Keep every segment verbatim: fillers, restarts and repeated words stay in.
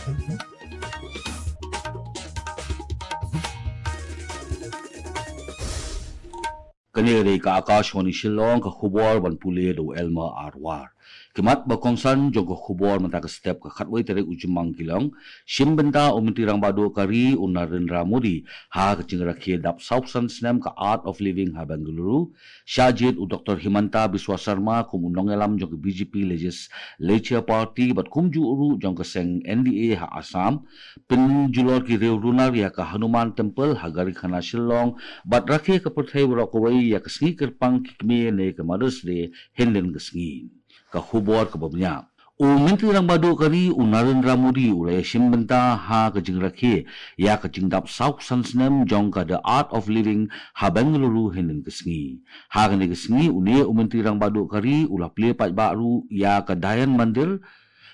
Kane ka dei ka Akashvani Shillong, ka khubor ban pule da u Elmer Arwar. Ki mat ba kongsan jong ka khubor mynta ka step ka khatwei tarik u Jymmang ki long, shim bynta u Myntri Rangbah Duh ka ri u Narendra Modi ha ka jingrakhe dap saw san snem ka Art of Living ha Bengaluru, shah jied u Doctor Himanta Biswa Sarma kum u nongïalam jong ka B J P Legislature Party bad kumjuh ruh jong ka seng N D A ha Assam, pynjulor ki riew runar ïa ka Hanuman Temple ha Garikhana Shillong, bad rakhe ka pyrthei baroh kawei ïa ka sngi kyrpang ki kmie ne ka Mother's Day hynnin ka sngi. Ka khubor kaba bniah. U Myntri Rangbah Duh ka ri u Narendra Modi u la ïashim bynta ha ka jingrakhe ïa ka jingdap saw san snem jong ka The Art of Living ha Bengaluru hynnin ka sngi. Ha kane ka sngi une u Myntri Rangbah Duh ka ri u la plie paidbah ruh ïa ka Dayan Mandir,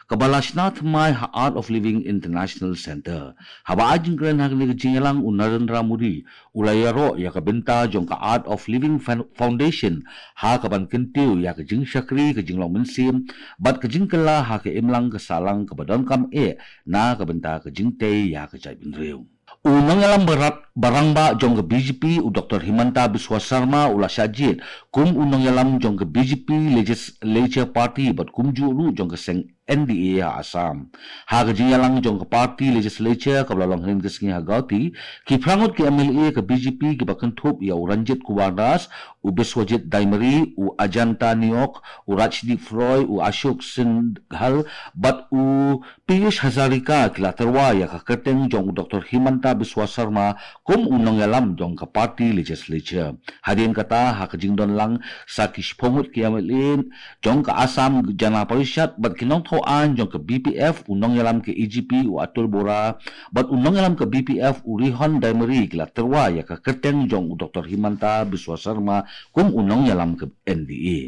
kaba la shna thymmai ha Art of Living International Centre. Haba ai jingkren ha kane ka jingïalang u Narendra Modi u la ïaroh ïa ka bynta jong ka Art of Living Fan-, Foundation ha kaban kyntiew ïa ka jingshakri, ka jinglong mynsiem bad ka jingkylla ha ka imlang ka sahlang kaba donkam eh na ka bynta ka jingtei ïa ka jaitbynriew. U nongïalam barat barangbah jong ka B J P u Doctor Himanta Biswa Sarma u la shah jied kum u nongïalam jong ka B J P Legislature Party bad kumjuh ruh jong ka seng N D A ha Assam. Ha ka jingïalang jong ka party legislature kaba la long hynnin ka sngi ha Guwahati, ki phra ngut ki M L A ka B J P kiba kynthup ïa u Ranjit Kumar Das, u Biswajit Daimary, u Ajanta Neok, u Rajdeep Roy, u Ashok Singhal bad u Piyush Hazarika ki la tyrwa ïa ka kyrteng jong u Doctor Himanta Biswa Sarma kum u nongïalam jong ka party legislature. Hadien kata ha ka jingdon lang sa ki shiphew ngut ki M L A jong ka Assam Jana Parishad bad ki nongthoh aiñ jong ka B P F, u nongïalam ka A G P u Atul Bora bad u nongïalam ka B P F u Rihon Daimary ki la tyrwa ïa ka kyrteng jong u Doctor Himanta Biswa Sarma kum u nongïalam ka N D A.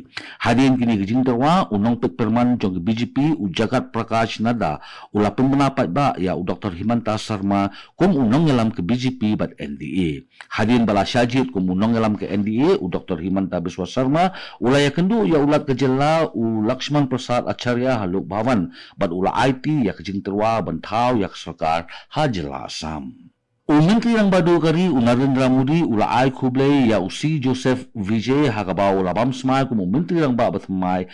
Hadien kine ki jingtyrwa, u nongpeit pyrman jong ka B J P u Jagat Prakash Nadda u la pynbna paidbah ïa u Doctor Himanta Sarma kum u nongïalam ka B J P bad N D A. Hadien ba la shah jied kum u nongïalam ka N D A, u Doctor Himanta Biswa Sarma u la ïakynduh ïa u Lat ka jylla u Lakshman Prasad Acharya ha Lok Bhavan bad u la aiti ïa ka jingtyrwa ban thaw ïa ka sorkar ha jylla Assam. U Myntri Rangbah Duh ka ri u Narendra Modi u la ai khublei ïa u C Joseph Vijay ha kaba u la bam smai kum u Myntri Rangbah ba thymmai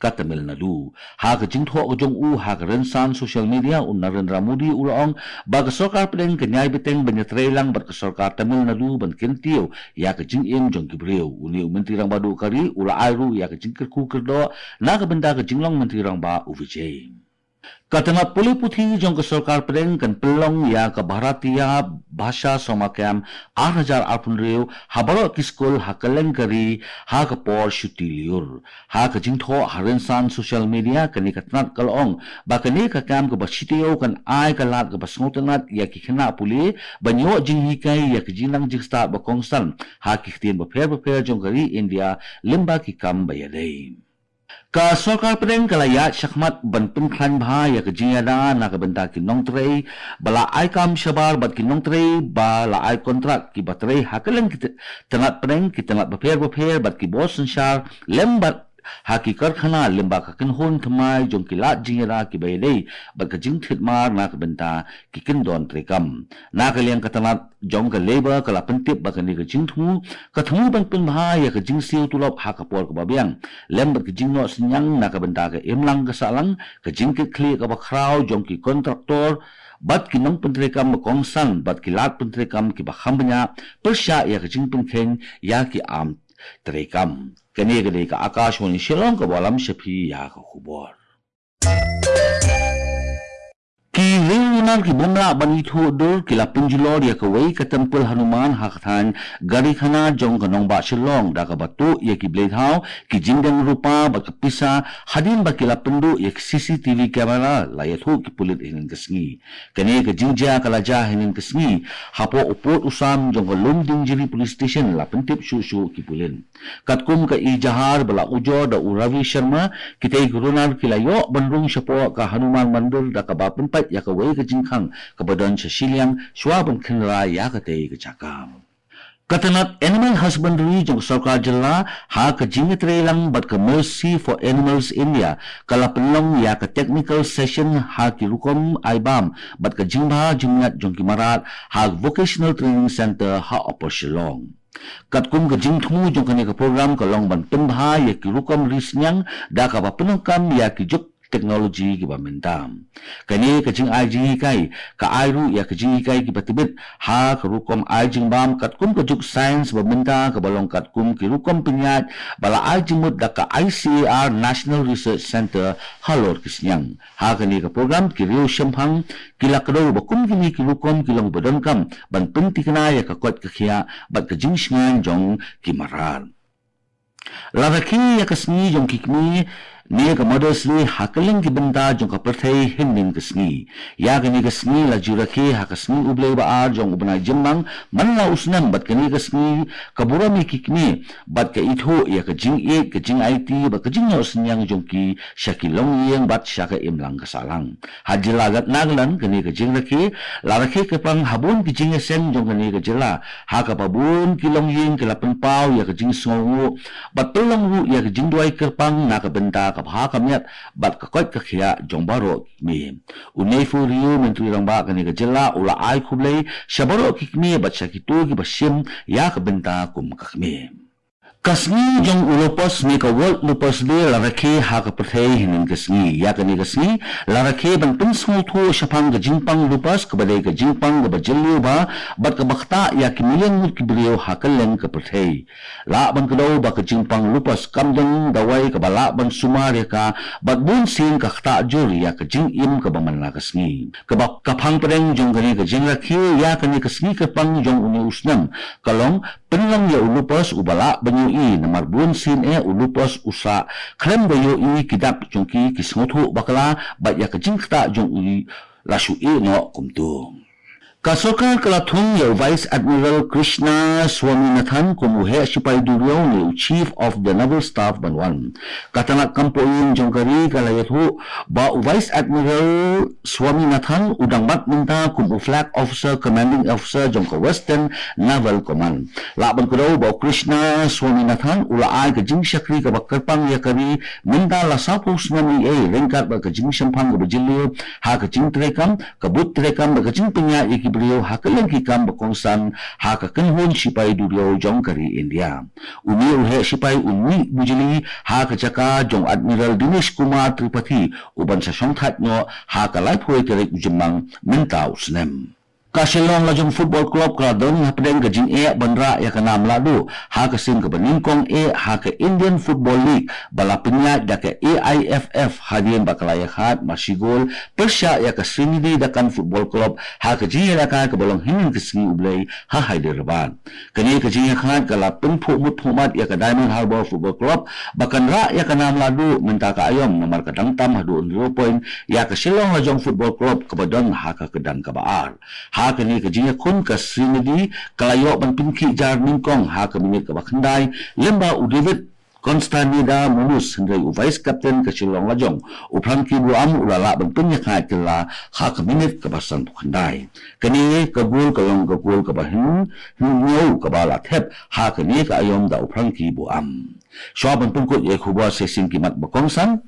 ka Tamil Nadu. Ha ka jingthoh ka jong u ha ka rynsan social media, u Narendra Modi u la ong ba ka sorkar pdeng kan ïai bteng ban ïatreilang bad ka sorkar Tamil Nadu ban kyntiew ïa ka jingim jong ki briew. Une u Myntri Rangbah Duh ka ri u la ai ruh ïa ka jingkyrkhu kyrdoh na ka bynta ka jinglong Myntri Rangbah u Vijay. Ka tnat pule puthi jong ka sorkar pdeng kan pynlong ïa ka Bharatiya Bhasha Summer Camp ar hajar arphew hynriew ha baroh ki skul ha kylleng ka ri ha ka por shuti lyiur. Ha ka jingthoh ha rynsan social media, kane ka tnat ka la ong ba kane ka camp kaba shitaïew kan ai ka lad kaba sngewtynnat ïa ki khynnah pule ban ïoh jinghikai ïa ki jingnang jingstad ba kongsan ha ki ktien bapher bapher jong ka ri India lyngba ki kam ba ïadei. Ka sorkar pdeng ka la ïaid shakhmat ban pynkhlaiñ bha ïa ka jingïada na ka bynta ki nongtrei ba la ai kam shabar bad ki nongtrei ba la ai kontrak kiba trei ha kylleng ki tnat pdeng, ki tnat bapher bapher bad ki bor synshar lem bad ha ki karkhana lyngba ka kynhun thymmai jong ki lad jingïada kiba ïadei bad ka jingthied mar na ka bynta ki kyndon treikam. Na ka liang ka tnat jong ka Labour ka la pyntip ba kane ka jingthmu ka thmu ban pynbha ïa ka jingsiew tulop ha ka por kaba biang lem bad ka jingnoh synñiang na ka bynta ka imlang ka sahlang, ka jingkitkhlieh kaba khraw jong ki kontraktor bad ki nongpyntreikam ba kongsan bad ki lad pyntreikam kiba kham bniah pyrshah ïa ka jingpynkheiñ ïa ki aiñ treikam. Kane ka dei ka Akashvani Shillong kaba lam sha phi ïa ka khubor. Ki riew runar ki bym lah ban ithuh dur ki la pynjulor ïa kawei ka temple Hanuman ha ka thaiñ Garikhana jong ka nongbah Shillong da kaba tuh ïa ki blei thaw, ki jingdeng rupa bad ka pisa hadien ba ki la pynduh ïa ki C C T V camera, la ïathuh ki pulit hynnin ka sngi. Kane ka jingjia ka la jia hynnin ka sngi hapoh u pud u sam jong ka Lumdiengjri Police Station, la pyntip shuh shuh ki pulit. Katkum ka ejahar ba la ujor da u Ravi Sharma, kitei ki runar ki la ïoh ban rung shapoh ka Hanuman Mandir da kaba pynpait ïa kawei ka jingkhang kaba don sha shiliang shuwa ban khynra ïa katei ka jaka. Ka tnat Animal Husbandry jong ka sorkar jylla ha ka jingïatreilang bad ka Mercy for Animals India ka la pynlong ïa ka technical session ha ki rukom ai bam bad ka jingbha jingmiat jong ki mrad ha Vocational Training Centre ha Upper Shillong. Katkum ka jingthmu jong kane ka program ka long ban pynbha ïa ki rukom ri synñiang da kaba pyndonkam ïa ki juk technology kiba mynta. Kane ka jingai jinghikai ka ai ruh ïa ka jinghikai kiba tbit ha ka rukom ai jingbam katkum ka juk science ba mynta kaba long katkum ki rukom pynïaid ba la ai jingmut da ka I C A R National Research Centre halor ki synñiang. Ha kane ka program ki riew shemphang ki la kdew ba kum kine ki rukom ki long ba donkam ban pyntikna ïa ka koit ka khiah bad ka jingshngaiñ jong ki mrad. La rakhe ïa ka sngi jong ki kmie ne ka Mother's Day ha kylleng ki bynta jong ka pyrthei hynnin ka sngi. Ïa kane ka sngi la ju rakhe ha ka sngi U Blei ba ar jong u bnai Jymmang man la u snem bad kane ka sngi ka burom ïa ki kmie bad ka ithuh ïa ka jingïeit ka jingaiti bad ka jingnoh synñiang jong ki sha ki longïing bad sha ka imlang ka sahlang. Ha jylla Nagaland kane ka jingrakhe la rakhe kyrpang ha bun ki jingïaseng jong kane ka jylla ha kaba bun ki longïing ki la pynpaw ïa ka jingsngewnguh bad pynlong ruh ïa ka jingduwai kyrpang na ka bynta ka bha ka miat bad ka koit ka khiah jong baroh ki kmie. U Neiphiu Rio, Myntri Rangbah kane ka jylla, u la ai khublei sha baroh ki kmie bad sha kito kiba shim ïa ka bynta kum ka kmie. Ka sngi jong u lupus ne ka World Lupus Day la rakhe ha ka pyrthei hynnin ka sngi. Ïa kane ka sngi la rakhe ban pynsngewthuh shaphang ka jingpang lupus kaba dei ka jingpang kaba jylliew bha bad kaba ktah ïa ki million ngut ki briew ha kylleng ka pyrthei. Lah ban kdew ba ka jingpang lupus kam don dawai kaba lah ban sumar ïa ka bad bun sien ka ktah jur ïa ka jingim kaba man la ka sngi. Kaba ka phang pdeng jong kane ka jingrakhe ïa kane ka sngi kyrpang jong une u snem ka long pynlong ïa u lupus uba lah ban ïohi namar bun sien eh u lupus u sah khlem da ïohi ki dak jong ki ki sngewthuh bakla bad ïa ka jingktah jong u la shu ïeh noh kumto. Ka sorkar ka la thung ïa u Vice Admiral Krishna Swaminathan kum u heh shipai duriaw ne u Chief of the Naval Staff ban wan. Ka tnat kam poh ïing jong ka ri ka la ïathuh ba u Vice Admiral Swaminathan u dang bat mynta kum u Flag Officer Commanding Officer jong ka Western Naval Command. Lah ban kdew ba u Krishna Swaminathan u la ai ka jingshakri kaba kyrpang ïa ka ri mynta la sawphew snem ei ei ryngkat bad ka jingshemphang kaba jylliew ha ka jingtreikam, ka bud treikam bad ka jingpynïaid ïa ki briew ha kylleng ki kam ba kongsan ha ka kynhun shipai duriaw jong ka ri India. Une u heh shipai u mih bujli ha ka jaka jong Admiral Dinesh Kumar Tripathi uban sa shongthait noh ha ka laiphew tarik u Jymmang mynta u snem. Ka Shillong Lajong Football Club ka la don hapdeng ka jingeh ban rah ïa ka nam lahduh ha ka sien kaba nyngkong eh ha ka Indian Football League ba la pynïaid da ka A I F F hadien ba ka la ïakhaid mar shi gol pyrshah ïa ka Sreenidi Dakan Football Club ha ka jingïalehkai kaba long hynnin ka sngi U Blei ha Hyderabad. Kane ka jingïakhaid ka la pynphuh mut phuh mat ïa ka Diamond Harbour Football Club ba kan rah ïa ka nam lahduh mynta ka aïom namar ka dang tam haduh hynriew point ïa ka Shillong Lajong Football Club kaba don ha ka kyrdan kaba ar. Ha kane ka jingïakhun ka Sreenidi ka la ïoh ban pynkhih jar nyngkong ha ka minit kaba khyndai lyngba u David Constanida Munus hynrei u vice captain ka Shillong Lajong u Frankie Buam u la lah ban pynïakhaid kylla ha ka minit kaba sanphew khyndai. Kane ka gol ka long ka gol kaba hynñiew kaba la thep ha kane ka aïom da u Frankie Buam. Shuwa ban pynkut ïa ki khubor sa shisien ki mat ba kongsan.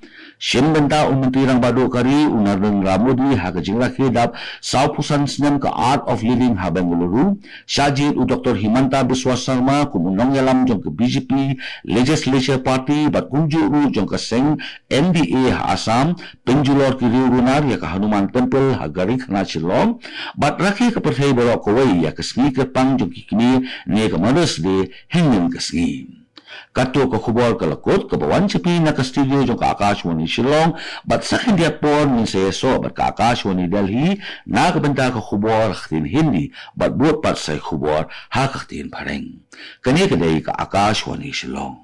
Shim bynta u Myntri Rangbah Duh ka ri u Narendra Modi ha ka jingrakhe dap sawphew san snem ka Art of Living ha Bengaluru. Shah jied u Doctor Himanta Biswa Sarma kum u nongïalam jong ka B J P Legislature Party bad kumjuh ruh jong ka seng N D A ha Assam. Pynjulor ki riew runar ïa ka Hanuman Temple ha Gari Khanat Shillong bad rakhe ka pyrthei baroh kawei ïa ka sngi kyrpang jong ki kmie ne ka Mother's Day hynnin ka sngi. Kato ka khubor ka la kut kaba wan sha phi na ka studio jong ka Akashvani Shillong bad sa khyndiat por ngin sa ïasoh bad ka Akashvani Delhi na ka bynta ka khubor ha ka ktien Hindi bad bud pat sa ïa ka khubor ha ka ktien Phareng. Kane ka dei ka Akashvani Shillong.